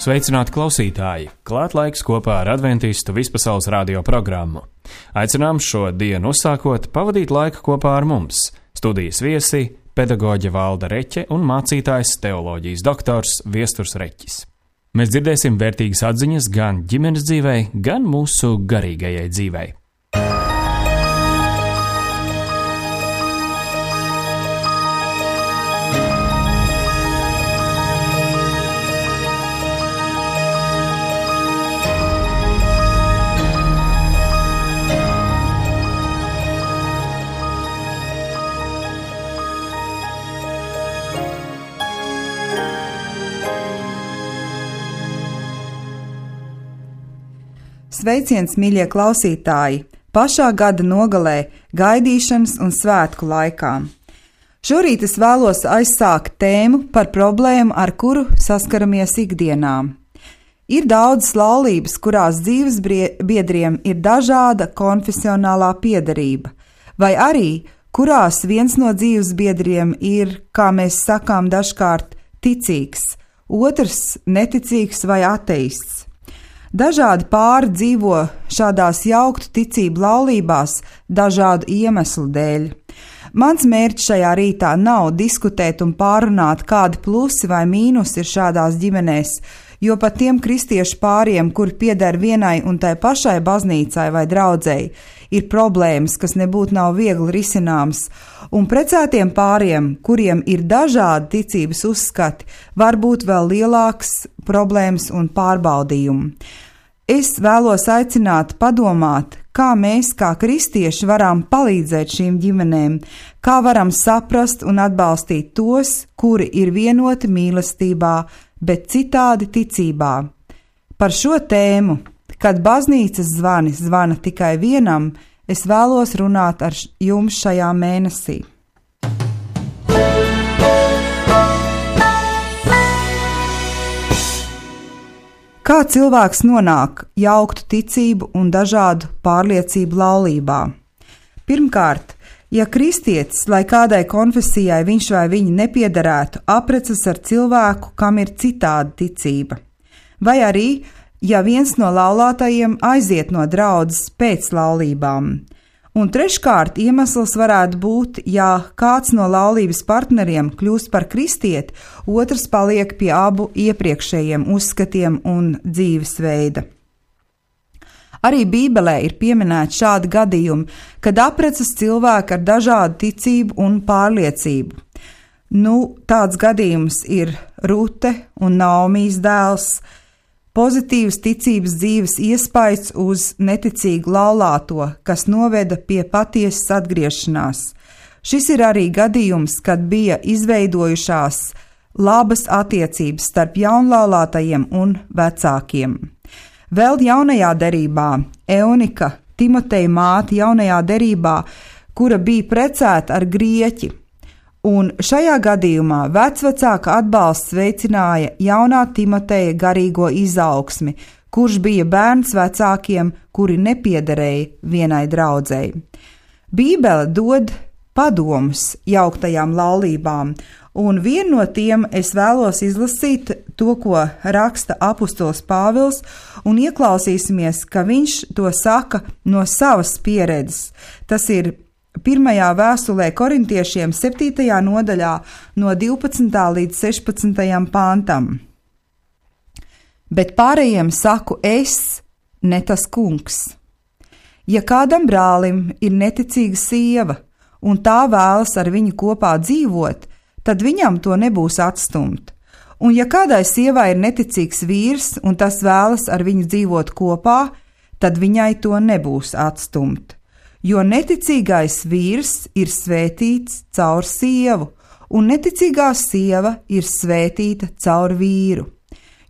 Sveicināti klausītāji! Klāt laiks kopā ar Adventistu vispasaules radio programmu. Aicinām šo dienu uzsākot pavadīt laiku kopā ar mums. Studijas viesi – pedagoģe Valda Reķe un mācītājs teoloģijas doktors Viesturs Reķis. Mēs dzirdēsim vērtīgas atziņas gan ģimenes dzīvei, gan mūsu garīgajai dzīvei. Sveiciens, mīļie klausītāji! Pašā gada nogalē, gaidīšanas un svētku laikā. Šorīt es vēlos aizsākt tēmu par problēmu, ar kuru saskaramies ikdienā. Ir daudzas laulības, kurās dzīves biedriem ir dažāda konfesionālā piederība, vai arī kurās viens no dzīves biedriem ir, kā mēs sakām dažkārt, ticīgs, otrs neticīgs vai ateists. Dažādi pāri dzīvo šādās jauktu ticību laulībās dažādu iemeslu dēļ. Mans mērķis šajā rītā nav diskutēt un pārunāt, kādi plusi vai mīnusi ir šādās ģimenēs, jo pat tiem kristiešu pāriem, kuri pieder vienai un tai pašai baznīcai vai draudzei, ir problēmas, kas nebūtu nav viegli risināmas, un precētiem pāriem, kuriem ir dažādi ticības uzskati, var būt vēl lielāks problēmas un pārbaudījumi. Es vēlos aicināt padomāt, kā mēs, kā kristieši, varam palīdzēt šīm ģimenēm, kā varam saprast un atbalstīt tos, kuri ir vienoti mīlestībā, bet citādi ticībā. Par šo tēmu, kad baznīcas zvani zvana tikai vienam, es vēlos runāt ar jums šajā mēnesī. Kā cilvēks nonāk jauktu ticību un dažādu pārliecību laulībā? Pirmkārt, ja kristietis, lai kādai konfesijai viņš vai viņa nepiederētu, apprecas ar cilvēku, kam ir citāda ticība, vai arī, ja viens no laulātajiem aiziet no draudzes pēc laulībām. Un treškārt, iemesls varētu būt, ja kāds no laulības partneriem kļūst par kristieti, otrs paliek pie abu iepriekšējiem uzskatiem un dzīvesveida. Arī Bībelē ir pieminēti šādi gadījumi, kad apprecas cilvēki ar dažādu ticību un pārliecību. Tāds gadījums ir Rute un Naomijas dēls. Pozitīvs ticības dzīves iespaids uz neticīgu laulāto, kas noveda pie patiesas atgriešanās. Šis ir arī gadījums, kad bija izveidojušās labas attiecības starp jaunlaulātajiem un vecākiem. Vēl jaunajā derībā Eunika, Timoteja māte jaunajā derībā, kura bija precēta ar grieķi, un šajā gadījumā vecvecāka atbalsts veicināja jaunā Timoteja garīgo izaugsmi, kurš bija bērns vecākiem, kuri nepiederēja vienai draudzei. Bībele dod padomus jauktajām laulībām, un vienu no tiem es vēlos izlasīt to, ko raksta apustols Pāvils, un ieklausīsimies, ka viņš to saka no savas pieredzes. Tas ir 1. vēstulē korintiešiem 7. nodaļā no 12. līdz 16. pantam. Bet pārējiem saku es, ne tas kungs. Ja kādam brālim ir neticīga sieva, un tā vēlas ar viņu kopā dzīvot, tad viņam to nebūs atstumt. Un ja kādai sievai ir neticīgs vīrs, un tas vēlas ar viņu dzīvot kopā, tad viņai to nebūs atstumt. Jo neticīgais vīrs ir svētīts caur sievu, un neticīgā sieva ir svētīta caur vīru.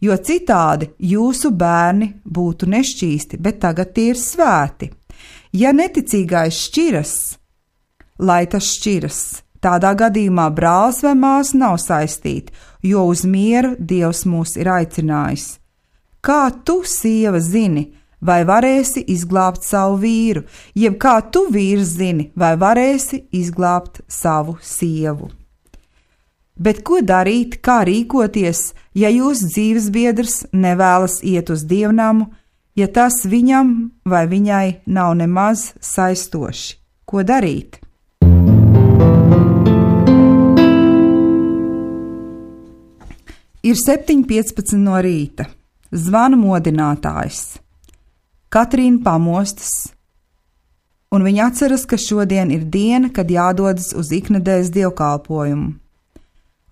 Jo citādi jūsu bērni būtu nešķīsti, bet tagad tie ir svēti. Ja neticīgais šķiras, lai tas šķiras, tādā gadījumā brālis vai māsa nav saistīti, jo uz mieru Dievs mūs ir aicinājis. Kā tu, sieva, zini, vai varēsi izglābt savu vīru, jeb kā tu, vīrs, zini, vai varēsi izglābt savu sievu. Bet ko darīt, kā rīkoties, ja jūsu dzīvesbiedrs nevēlas iet uz dievnamu, ja tas viņam vai viņai nav nemaz saistoši? Ko darīt? Ir 7:15 no rīta. Zvana modinātājs. Katrīna pamostas, un viņa atceras, ka šodien ir diena, kad jādodas uz iknedēļas dievkalpojumu.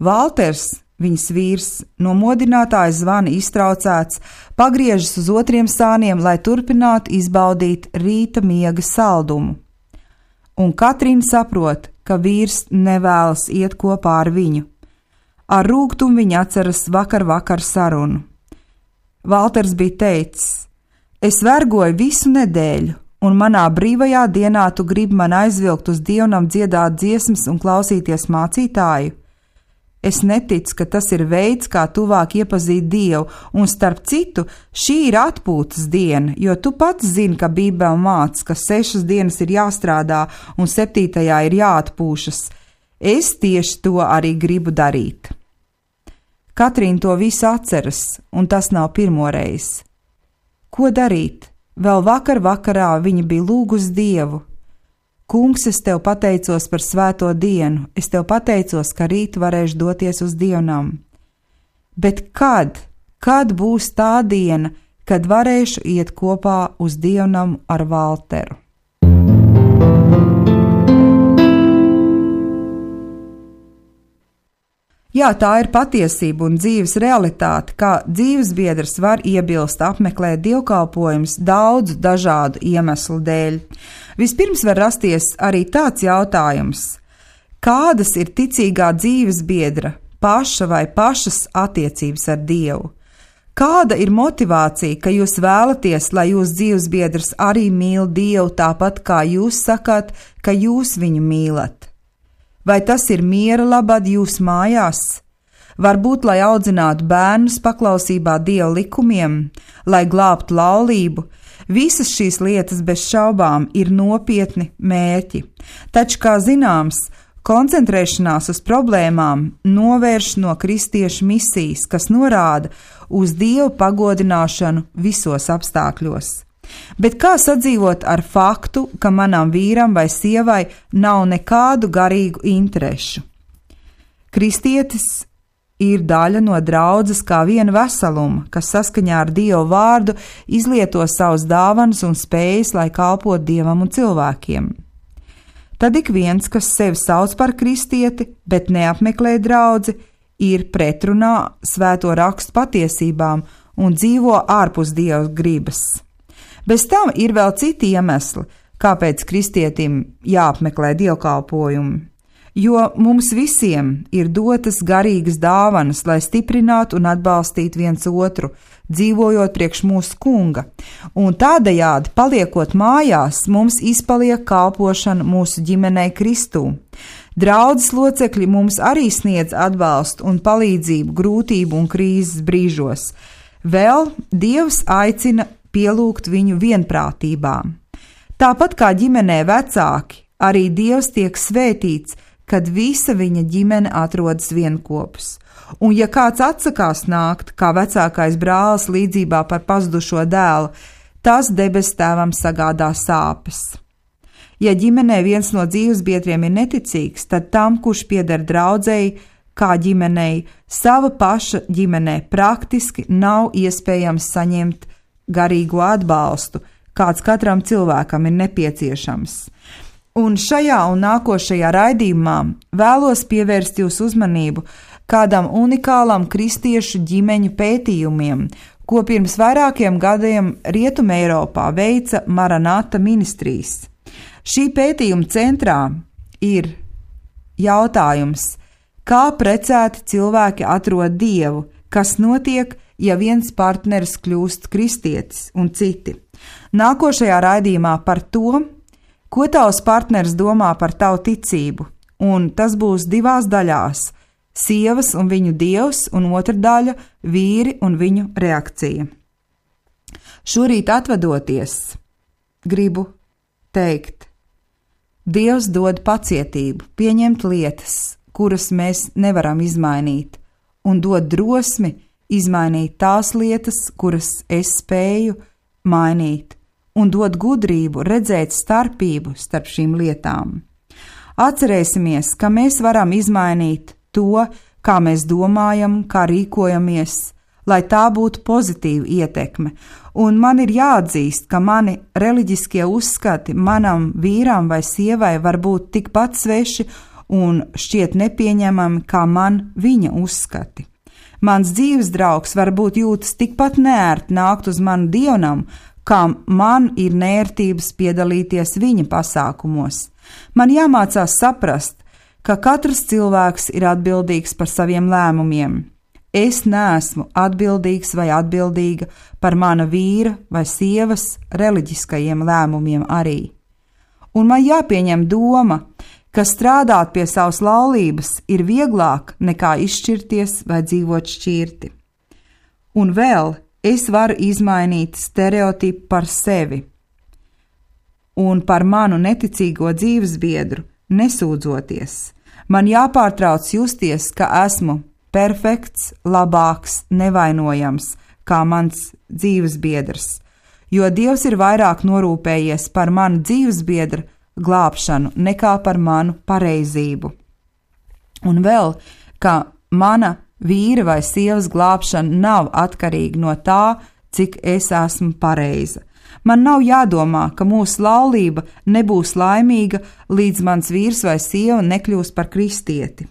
Valters, viņas vīrs, no modinātāja zvana iztraucēts, pagriežas uz otriem sāniem, lai turpinātu izbaudīt rīta miega saldumu. Un Katrīna saprot, ka vīrs nevēlas iet kopā ar viņu. Ar rūgtumu viņa atceras vakar sarunu. Valters bija teicis: es vergoju visu nedēļu, un manā brīvajā dienā tu gribi man aizvilkt uz dievnam dziedāt dziesmas un klausīties mācītāju? Es neticu, ka tas ir veids, kā tuvāk iepazīt Dievu, un starp citu, šī ir atpūtas diena, jo tu pats zini, ka Bībele māca, ka 6 dienas ir jāstrādā un 7. ir jāatpūšas. Es tieši to arī gribu darīt. Katrīna to visu atceras, un tas nav pirmoreiz. Ko darīt? Vēl vakarā viņa bija lūgusi Dievu. Kungs, es tev pateicos par svēto dienu, es tev pateicos, ka rīt varēšu doties uz dievnam. Bet kad būs tā diena, kad varēšu iet kopā uz dievnamu ar Valteru? Jā, tā ir patiesība un dzīves realitāte, kā dzīvesbiedrs var iebilst apmeklēt dievkalpojumus daudzu dažādu iemeslu dēļ. Vispirms var rasties arī tāds jautājums: kādas ir ticīgā dzīvesbiedra paša vai pašas attiecības ar Dievu? Kāda ir motivācija, ka jūs vēlaties, lai jūsu dzīvesbiedrs arī mīl Dievu tāpat kā jūs sakāt, ka jūs viņu mīlat? Vai tas ir miera labad jūs mājās? Varbūt, lai audzinātu bērnus paklausībā Dieva likumiem, lai glābtu laulību? Visas šīs lietas bez šaubām ir nopietni mērķi. Taču, kā zināms, koncentrēšanās uz problēmām novērš no kristiešu misijas, kas norāda uz Dievu pagodināšanu visos apstākļos. Bet kā sadzīvot ar faktu, ka manam vīram vai sievai nav nekādu garīgu interešu? Kristietis ir daļa no draudzes kā viena veseluma, kas saskaņā ar Dievu vārdu izlieto savus dāvanas un spējas, lai kalpotu Dievam un cilvēkiem. Tad ik viens, kas sevi sauc par kristieti, bet neapmeklē draudzi, ir pretrunā svēto rakstu patiesībām un dzīvo ārpus Dieva gribas. Bez tam ir vēl citi iemesli, kāpēc kristietim jāapmeklē dievkalpojumi. Jo mums visiem ir dotas garīgas dāvanas, lai stiprinātu un atbalstītu viens otru, dzīvojot priekš mūsu Kunga, un tādējādi, paliekot mājās, mums izpaliek kalpošana mūsu ģimenei Kristū. Draudzes locekļi mums arī sniedz atbalstu un palīdzību grūtību un krīzes brīžos. Vēl Dievs aicina pielūgt viņu vienprātībā. Tāpat kā ģimenē vecāki, arī Dievs tiek svētīts, kad visa viņa ģimene atrodas vienkopus. Un ja kāds atsakās nākt, kā vecākais brālis līdzībā par pazudušo dēlu, tas debes tēvam sagādā sāpes. Ja ģimenē viens no dzīvesbiedriem ir neticīgs, tad tam, kurš pieder draudzei, kā ģimenei, sava paša ģimenē praktiski nav iespējams saņemt garīgo atbalstu, kāds katram cilvēkam ir nepieciešams. Un šajā un nākošajā raidījumā vēlos pievērst jūsu uzmanību kādam unikālam kristiešu ģimeņu pētījumiem, ko pirms vairākiem gadiem Rietumē Eiropā veica Maranata ministrijas. Šī pētījuma centrā ir jautājums, kā precēti cilvēki atrod Dievu, kas notiek, ja viens partneris kļūst kristietis un citi. Nākošajā raidījumā par to, ko tavs partneris domā par tavu ticību, un tas būs 2 daļās – sievas un viņu dievs, un otra daļa – vīri un viņu reakcija. Šorīt atvadoties, gribu teikt, Dievs dod pacietību, pieņemt lietas, kuras mēs nevaram izmainīt, un dod drosmi izmainīt tās lietas, kuras es spēju mainīt, un dod gudrību redzēt starpību starp šīm lietām. Atcerēsimies, ka mēs varam izmainīt to, kā mēs domājam, kā rīkojamies, lai tā būtu pozitīva ietekme, un man ir jāatzīst, ka mani reliģiskie uzskati manam vīram vai sievai var būt tikpat sveši un šķiet nepieņemami kā man viņa uzskati. Mans dzīves draugs varbūt jūtas tikpat neērti nākt uz manu dievnamu, kā man ir nērtības piedalīties viņa pasākumos. Man jāmācās saprast, ka katrs cilvēks ir atbildīgs par saviem lēmumiem. Es neesmu atbildīgs vai atbildīga par mana vīra vai sievas reliģiskajiem lēmumiem arī. Un man jāpieņem doma, ka strādāt pie savas laulības ir vieglāk nekā izšķirties vai dzīvot šķirti. Un vēl es varu izmainīt stereotipu par sevi un par manu neticīgo dzīvesbiedru, nesūdzoties. Man jāpārtrauc justies, ka esmu perfekts, labāks, nevainojams kā mans dzīvesbiedrs, jo Dievs ir vairāk norūpējies par manu dzīvesbiedru glābšanu nekā par manu pareizību. Un vēl, ka mana vīra vai sievas glābšana nav atkarīga no tā, cik es esmu pareiza. Man nav jādomā, ka mūsu laulība nebūs laimīga, līdz mans vīrs vai sieva nekļūs par kristieti.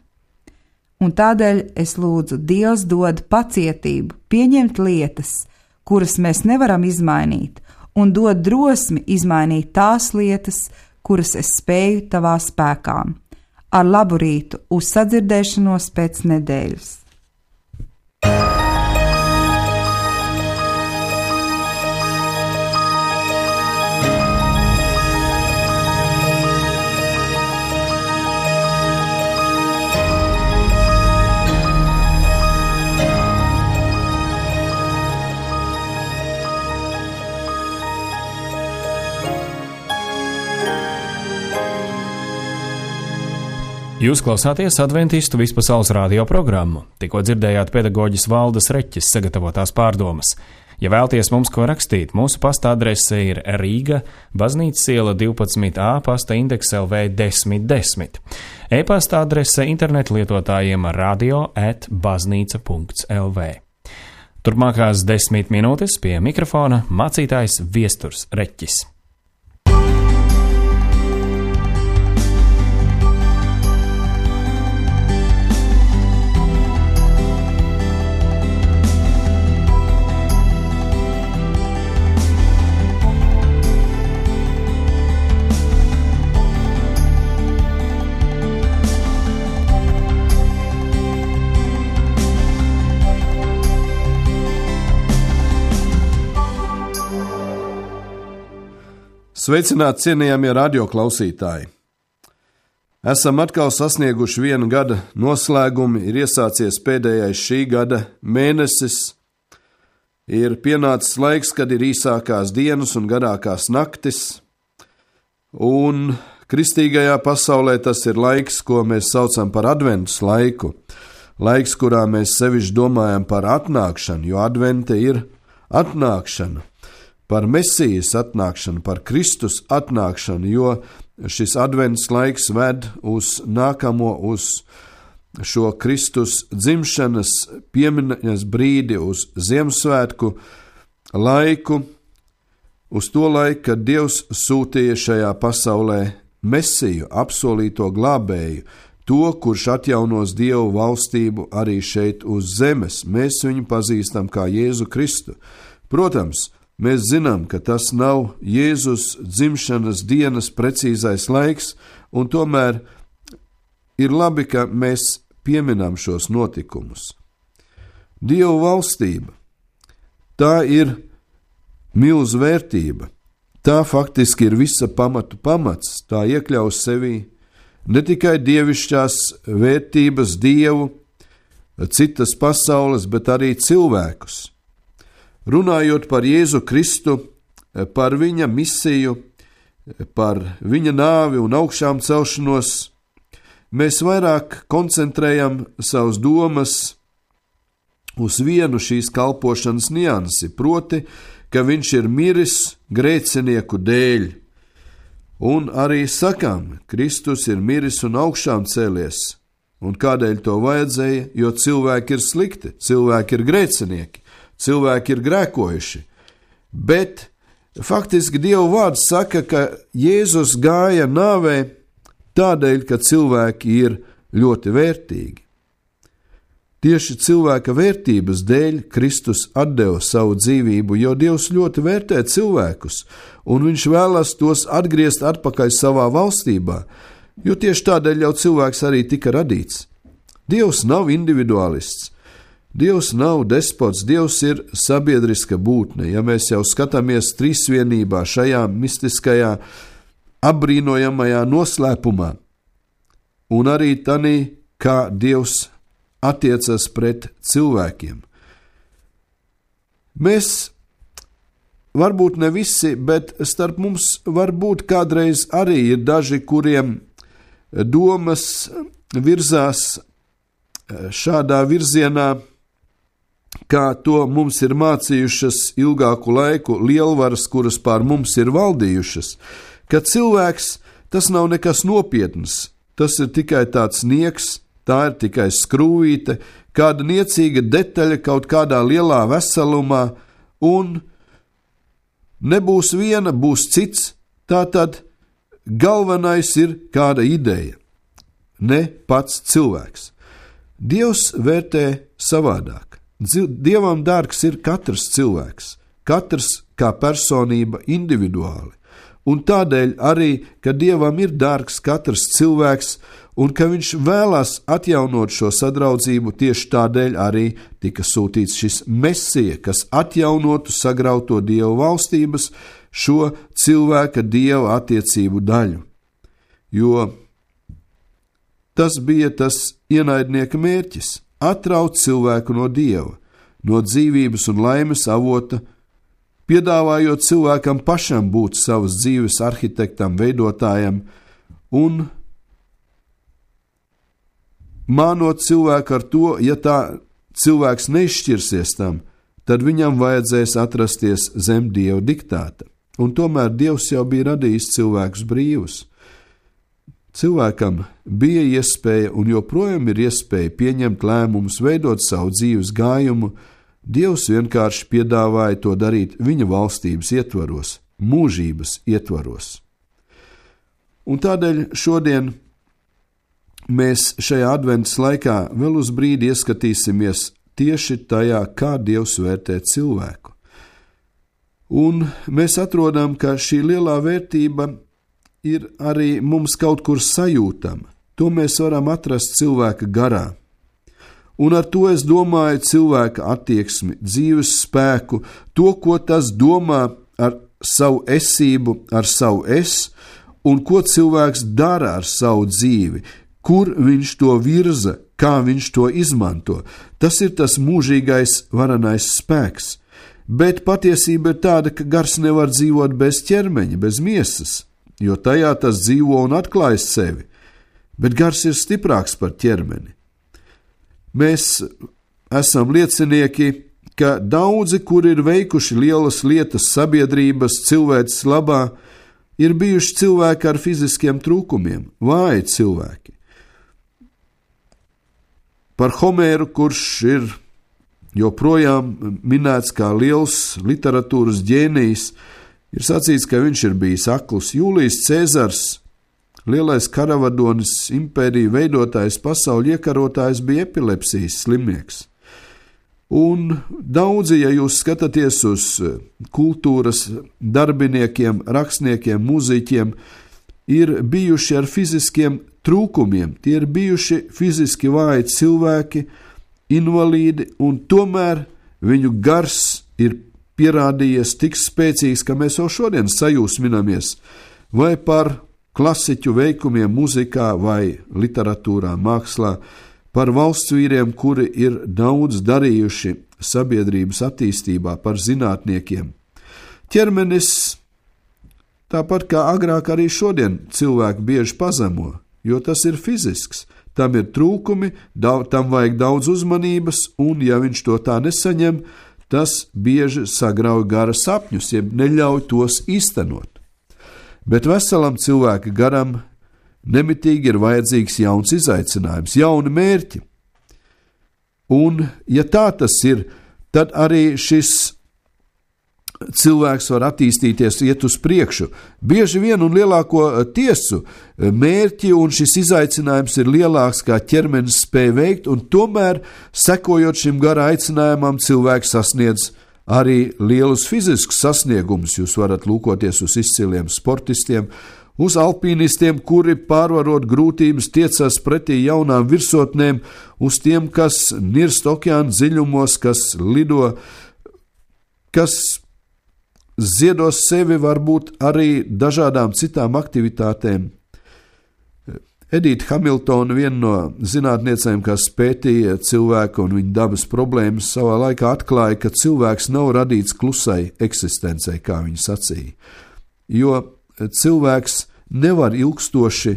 Un tādēļ es lūdzu, Dievs dod pacietību, pieņemt lietas, kuras mēs nevaram izmainīt, un dod drosmi izmainīt tās lietas, kuras es spēju tavā spēkā. Ar labu rītu, uz sadzirdēšanos pēc nedēļas. Jūs klausāties Adventistu vispasaules radio programmu. Tikko dzirdējāt pedagoģis Valdes Reķes sagatavotās pārdomas. Ja vēlties mums ko rakstīt, mūsu pasta adrese ir Rīga, Baznīcas iela 12A, pasta indeks LV 1010. E-pasta adrese internetu lietotājiem radio@baznīca.lv. Turpmākās 10 minūtes pie mikrofona mācītājs Viesturs Reķis. Sveicināti cienījamie radioklausītāji! Esam atkal sasnieguši 1 gada noslēgumu, ir iesācies pēdējais šī gada mēnesis, ir pienācis laiks, kad ir īsākās dienas un garākās naktis, un kristīgajā pasaulē tas ir laiks, ko mēs saucam par adventus laiku, laiks, kurā mēs sevišķi domājam par atnākšanu, jo advente ir atnākšana. Par Mesijas atnākšanu, par Kristus atnākšanu, jo šis advents laiks ved uz nākamo, uz šo Kristus dzimšanas piemiņas brīdi, uz Ziemassvētku laiku, uz to laiku, kad Dievs sūtīja šajā pasaulē Mesiju, apsolīto glābēju, to, kurš atjaunos Dievu valstību arī šeit uz zemes. Mēs viņu pazīstam kā Jēzu Kristu. Protams, mēs zinām, ka tas nav Jēzus dzimšanas dienas precīzais laiks, un tomēr ir labi, ka mēs pieminam šos notikumus. Dieva valstība, tā ir milzu vērtība, tā faktiski ir visa pamatu pamats, tā iekļaus sevī ne tikai dievišķās vērtības, Dievu, citas pasaules, bet arī cilvēkus. Runājot par Jēzu Kristu, par viņa misiju, par viņa nāvi un augšām celšanos, mēs vairāk koncentrējam savus domas uz vienu šīs kalpošanas niansi, proti, ka viņš ir miris grēcinieku dēļ. Un arī sakām, Kristus ir miris un augšām cēlies. Un kādēļ to vajadzēja? Jo cilvēki ir slikti, cilvēki ir grēcinieki, cilvēki ir grēkojuši. Bet faktiski Dieva vārds saka, ka Jēzus gāja nāvē tādēļ, ka cilvēki ir ļoti vērtīgi. Tieši cilvēka vērtības dēļ Kristus atdeva savu dzīvību, jo Dievs ļoti vērtē cilvēkus, un viņš vēlas tos atgriezt atpakaļ savā valstībā, jo tieši tādēļ jau cilvēks arī tika radīts. Dievs nav individualists, Dievs nav despots, Dievs ir sabiedriska būtne. Ja mēs jau skatāmies trīsvienībā šajā mistiskajā, apbrīnojamajā noslēpumā, un arī tanī, kā Dievs attiecas pret cilvēkiem. Mēs, varbūt ne visi, bet starp mums varbūt kādreiz arī ir daži, kuriem domas virzās šādā virzienā, kā to mums ir mācījušas ilgāku laiku lielvaras, kuras pār mums ir valdījušas, ka cilvēks tas nav nekas nopietns, tas ir tikai tāds nieks, tā ir tikai skrūvīte, kāda niecīga detaļa kaut kādā lielā veselumā, un nebūs viena, būs cits, tātad galvenais ir kāda ideja, ne pats cilvēks. Dievs vērtē savādāk. Dievam dārgs ir katrs cilvēks, katrs kā personība individuāli, un tādēļ arī, ka Dievam ir dārgs katrs cilvēks, un ka viņš vēlās atjaunot šo sadraudzību, tieši tādēļ arī tika sūtīts šis Mesija, kas atjaunotu sagrauto Dieva valstības, šo cilvēka Dieva attiecību daļu. Jo tas bija tas ienaidnieka mērķis – atraut cilvēku no Dieva, no dzīvības un laimes avota, piedāvājot cilvēkam pašam būt savas dzīves arhitektam, veidotājam un mānot cilvēku ar to, ja tā cilvēks neizšķirsies tam, tad viņam vajadzēs atrasties zem Dieva diktāta. Un tomēr Dievs jau bija radījis cilvēkus brīvus. Cilvēkam bija iespēja un joprojām ir iespēja pieņemt lēmumus, veidot savu dzīves gājumu. Dievs vienkārši piedāvāja to darīt viņa valstības ietvaros, mūžības ietvaros. Un tādēļ šodien mēs šajā adventas laikā vēl uz brīdi ieskatīsimies tieši tajā, kā Dievs vērtē cilvēku. Un mēs atrodam, ka šī lielā vērtība ir arī mums kaut kur sajūtama. To mēs varam atrast cilvēka garā. Un ar to es domāju cilvēka attieksmi, dzīves spēku, to, ko tas domā ar savu esību, ar savu es, un ko cilvēks dara ar savu dzīvi, kur viņš to virza, kā viņš to izmanto. Tas ir tas mūžīgais varenais spēks. Bet patiesība ir tāda, ka gars nevar dzīvot bez ķermeņa, bez miesas, jo tajā tas dzīvo un atklājas sevi. Bet gars ir stiprāks par ķermeni. Mēs esam liecinieki, ka daudzi, kuri ir veikuši lielas lietas sabiedrības cilvēces labā, ir bijuši cilvēki ar fiziskiem trūkumiem, vāji cilvēki. Par Homēru, kurš ir joprojām minēts kā liels literatūras ģēnijs, ir sacīts, ka viņš ir bijis akls. Jūlijs Cēzars, lielais karavadonis, impēriju veidotājs, pasaules iekarotājs, bija epilepsijas slimnieks. Un daudzi, ja jūs skatāties uz kultūras darbiniekiem, rakstniekiem, mūziķiem, ir bijuši ar fiziskiem trūkumiem, tie ir bijuši fiziski vāji cilvēki, invalīdi, un tomēr viņu gars ir pierādījies tik spēcīgs, ka mēs jau šodien sajūsminamies vai par klasiķu veikumiem muzikā vai literatūrā, mākslā, par valsts vīriem, kuri ir daudz darījuši sabiedrības attīstībā, par zinātniekiem. Ķermenis, tāpat kā agrāk arī šodien cilvēki bieži pazemo, jo tas ir fizisks. Tam ir trūkumi, tam vajag daudz uzmanības, un ja viņš to tā nesaņem, tas bieži sagrauj gara sapņus, jeb neļauj tos īstenot. Bet veselam cilvēka garam nemitīgi ir vajadzīgs jauns izaicinājums, jauni mērķi. Un, ja tā tas ir, tad arī šis cilvēks var attīstīties, iet uz priekšu. Bieži vien un lielāko tiesu mērķi un šis izaicinājums ir lielāks, kā ķermenis spēj veikt, un tomēr, sekojot šim gara aicinājumam, cilvēks sasniedz arī lielus fiziskus sasniegumus. Jūs varat lūkoties uz izciliem sportistiem, uz alpīnistiem, kuri pārvarot grūtības tiecas pretī jaunām virsotnēm, uz tiem, kas nirst okeāna dziļumos, kas lido, kas ziedos sevi varbūt arī dažādām citām aktivitātēm. Edita Hamiltona, viena no zinātniecēm, kas pētīja cilvēku un viņa dabas problēmas, savā laikā atklāja, ka cilvēks nav radīts klusai eksistencei, kā viņa sacīja. Jo cilvēks nevar ilgstoši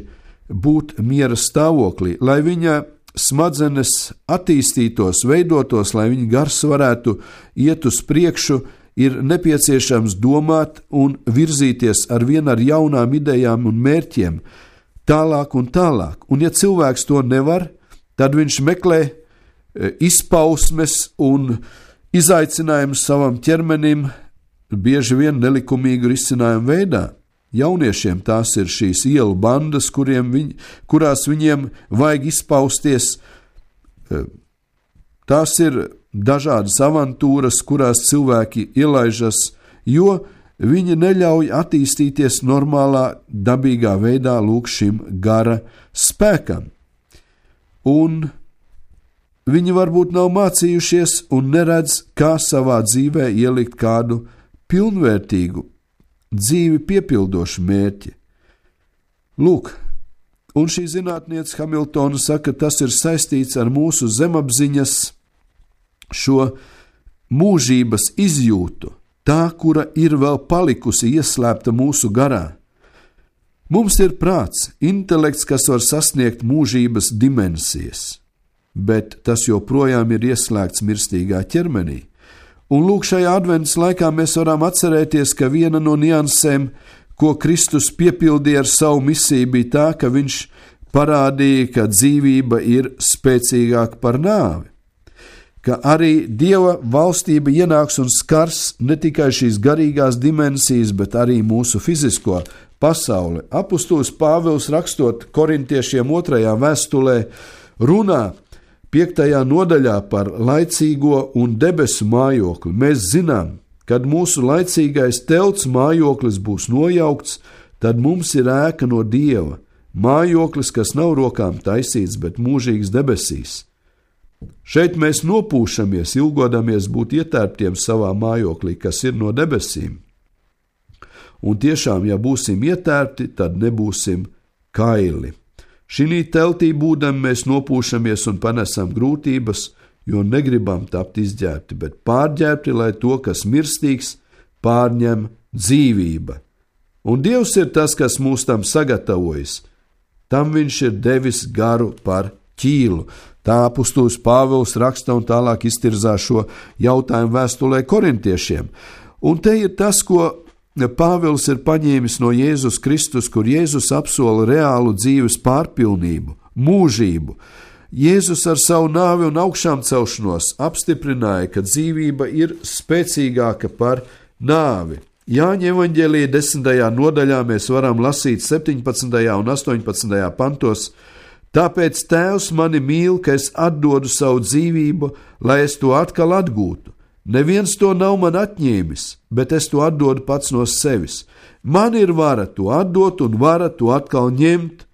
būt miera stāvoklī, lai viņa smadzenes attīstītos, veidotos, lai viņa gars varētu iet uz priekšu, ir nepieciešams domāt un virzīties arvien ar jaunām idejām un mērķiem, tālāk un tālāk. Un ja cilvēks to nevar, tad viņš meklē izpausmes un izaicinājumus savam ķermenim, bieži vien nelikumīgu risinājumu veidā. Jauniešiem tās ir šīs ielu bandas, kurās viņiem vajag izpausties. Tās ir dažādas avantūras, kurās cilvēki ielaižas, jo viņi neļauj attīstīties normālā, dabīgā veidā lūk šim gara spēkam. Un viņi varbūt nav mācījušies un neredz, kā savā dzīvē ielikt kādu pilnvērtīgu, dzīvi piepildošu mērķi. Lūk, un šī zinātniece Hamiltona saka, tas ir saistīts ar mūsu zemapziņas šo mūžības izjūtu, tā, kura ir vēl palikusi ieslēpta mūsu garā. Mums ir prāts, intelekts, kas var sasniegt mūžības dimensijas, bet tas joprojām ir ieslēgts mirstīgā ķermenī. Un lūk, šajā adventas laikā mēs varam atcerēties, ka viena no niansēm, ko Kristus piepildīja ar savu misiju, bija tā, ka viņš parādīja, ka dzīvība ir spēcīgāka par nāvi, ka arī Dieva valstība ienāks un skars ne tikai šīs garīgās dimensijas, bet arī mūsu fizisko pasauli. Apustulis Pāvils, rakstot korintiešiem 2. vēstulē, runā 5. nodaļā par laicīgo un debesu mājokli. Mēs zinām, kad mūsu laicīgais telts mājoklis būs nojaukts, tad mums ir ēka no Dieva, mājoklis, kas nav rokām taisīts, bet mūžīgs debesīs. Šeit mēs nopūšamies, ilgodamies būt ietērptiem savā mājoklī, kas ir no debesīm. Un tiešām, ja būsim ietērpti, tad nebūsim kaili. Šī teltī būdami mēs nopūšamies un panesam grūtības, jo negribam tapt izģērbti, bet pārģērbti, lai to, kas mirstīgs, pārņem dzīvība. Un Dievs ir tas, kas mūs tam sagatavojas. Tam viņš ir devis garu par ķīlu. Tā apustulis Pāvils raksta un tālāk iztirzā šo jautājumu vēstulē korintiešiem. Un te ir tas, ko Pāvils ir paņēmis no Jēzus Kristus, kur Jēzus apsola reālu dzīves pārpilnību, mūžību. Jēzus ar savu nāvi un augšām celšanos apstiprināja, ka dzīvība ir spēcīgāka par nāvi. Jāņa evaņģēlija 10. nodaļā mēs varam lasīt 17. un 18. pantos: Tāpēc Tēvs mani mīl, ka es atdodu savu dzīvību, lai es to atkal atgūtu. Neviens to nav man atņēmis, bet es to atdodu pats no sevis. Man ir vara to atdot un vara to atkal ņemt.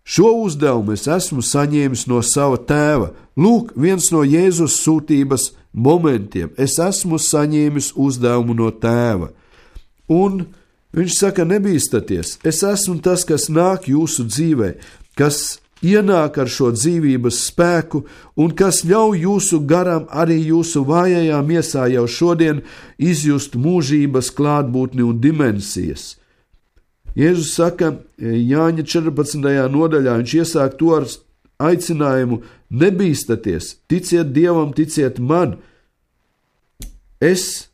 Šo uzdevumu es esmu saņēmis no sava tēva. Lūk, viens no Jēzus sūtības momentiem. Es esmu saņēmis uzdevumu no tēva. Un viņš saka, nebīstaties, es esmu tas, kas nāk jūsu dzīvē, kas ienāk ar šo dzīvības spēku un kas ļauj jūsu garam arī jūsu vājajā miesā jau šodien izjust mūžības klātbūtni un dimensijas. Jēzus saka Jāņa 14. nodaļā, viņš iesāk to ar aicinājumu: nebīstaties, ticiet Dievam, ticiet man. Es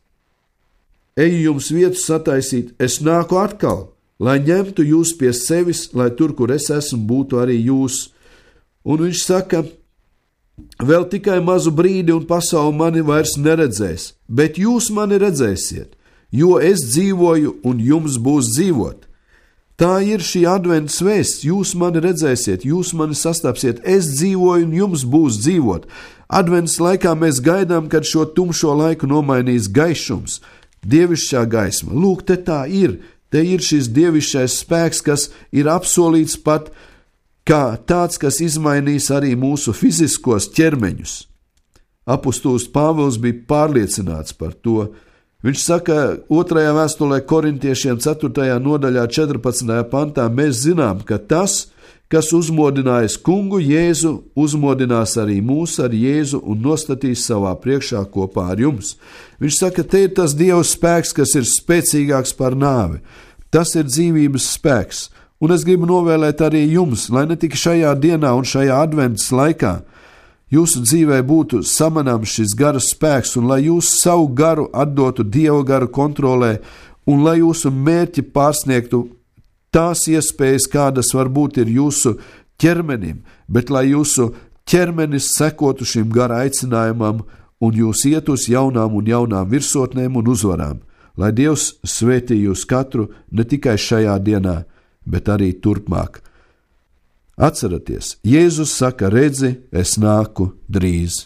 eju jums vietu sataisīt, es nāku atkal, lai ņemtu jūs pie sevis, lai tur, kur es esmu, būtu arī jūs. Un viņš saka, vēl tikai mazu brīdi un pasauli mani vairs neredzēs, bet jūs mani redzēsiet, jo es dzīvoju un jums būs dzīvot. Tā ir šī advents vēsts, jūs mani redzēsiet, jūs mani sastapsiet, es dzīvoju un jums būs dzīvot. Advents laikā mēs gaidām, kad šo tumšo laiku nomainīs gaišums, dievišķā gaisma. Lūk, te tā ir, te ir šis dievišķais spēks, kas ir apsolīts pat kā tāds, kas izmainīs arī mūsu fiziskos ķermeņus. Apostols Pāvils bija pārliecināts par to. Viņš saka 2. vēstulē korintiešiem 4. nodaļā 14. pantā, mēs zinām, ka tas, kas uzmodinājis kungu Jēzu, uzmodinās arī mūs ar Jēzu un nostatīs savā priekšā kopā ar jums. Viņš saka, te ir tas Dieva spēks, kas ir spēcīgāks par nāvi. Tas ir dzīvības spēks. Un es gribu novēlēt arī jums, lai ne tikai šajā dienā un šajā adventas laikā jūsu dzīvē būtu samanāms šis gara spēks, un lai jūs savu garu atdotu Dieva garu kontrolē, un lai jūsu mērķi pārsniegtu tās iespējas, kādas varbūt ir jūsu ķermenim, bet lai jūsu ķermenis sekotu šim gara aicinājumam, un jūs iet uz jaunām un jaunām virsotnēm un uzvarām. Lai Dievs svētī jūs katru ne tikai šajā dienā, bet arī turpmāk. Atcerieties, Jēzus saka, redzi, es nāku drīz.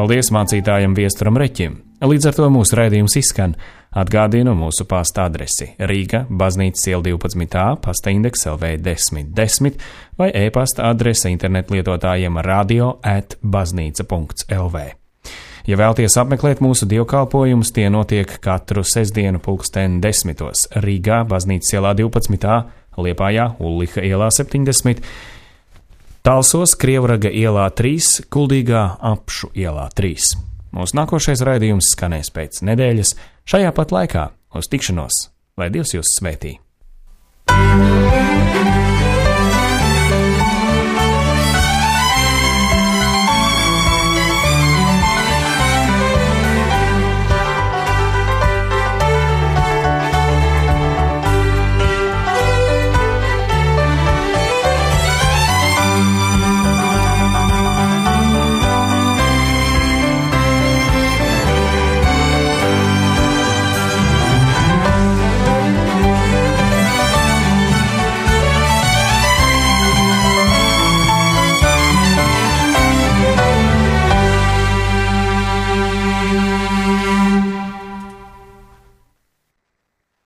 Paldies mācītājam Viesturam Reķim. Līdz ar to mūsu raidījums izskan. Atgādinu mūsu pasta adresi Rīga, Baznīcas iela 12a, pasta indeks LV 1010 vai e-pasta adrese internetlietotājiem radio@baznīca.lv. Ja vēlties apmeklēt mūsu dievkalpojumus, tie notiek katru sestdienu 10:00 Rīgā, Baznīcas ielā 12a, Liepājā, Ulliha ielā 70, Talsos, Krievraga ielā 3, Kuldīgā, Apšu ielā 3. Mūsu nākošais raidījums skanēs pēc nedēļas šajā pat laikā. Uz tikšanos, lai Dievs jūs svētī!